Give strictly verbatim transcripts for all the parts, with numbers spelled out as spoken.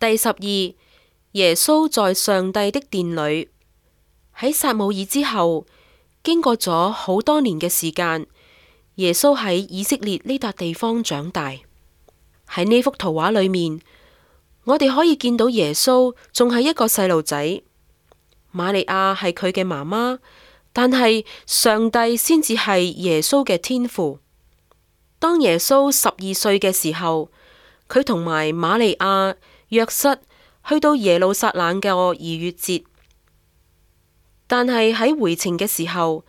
第十二，耶穌在上帝的殿裏。喺撒母耳之後，經過咗好多年嘅時間，耶穌喺以色列呢笪地方長大。喺呢幅圖畫裏面，我哋可以見到耶穌仲係一個細路仔，瑪利亞係佢嘅媽媽，但係上帝先至係耶穌嘅天父。當耶穌十二歲嘅時候，佢同埋瑪利亞、約瑟去到耶路撒冷嘅逾越節，但係喺回程嘅時候，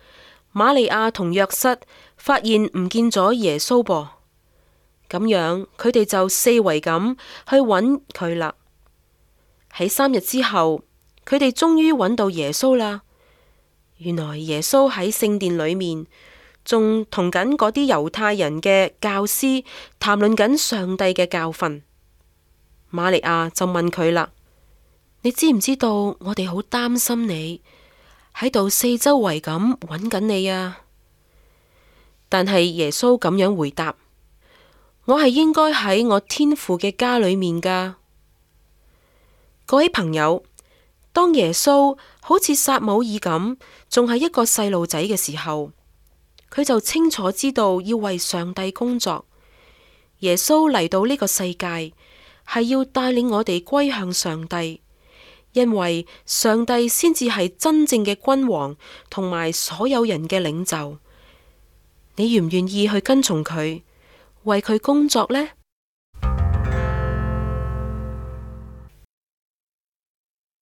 瑪利亞同約瑟發現唔見咗耶穌噃，咁樣佢哋就四圍咁去揾佢啦。喺三日之後，佢哋終於揾到耶穌啦。原來耶穌喺聖殿裏面，仲同緊嗰啲猶太人嘅教師談論緊上帝嘅教訓。瑪利亞就問佢啦：你知唔知道我哋好擔心你喺度四周圍咁揾緊你啊？但係耶穌咁樣回答：我係應該喺我天父嘅家裏面噶。各位朋友，當耶穌好似撒母耳咁，仲係一個細路仔嘅時候，佢就清楚知道要為上帝工作。耶穌嚟到呢個世界，係要帶領我哋歸向上帝，因為上帝先至係真正嘅君王，同埋所有人嘅領袖。你願唔願意去跟從佢，為佢工作呢？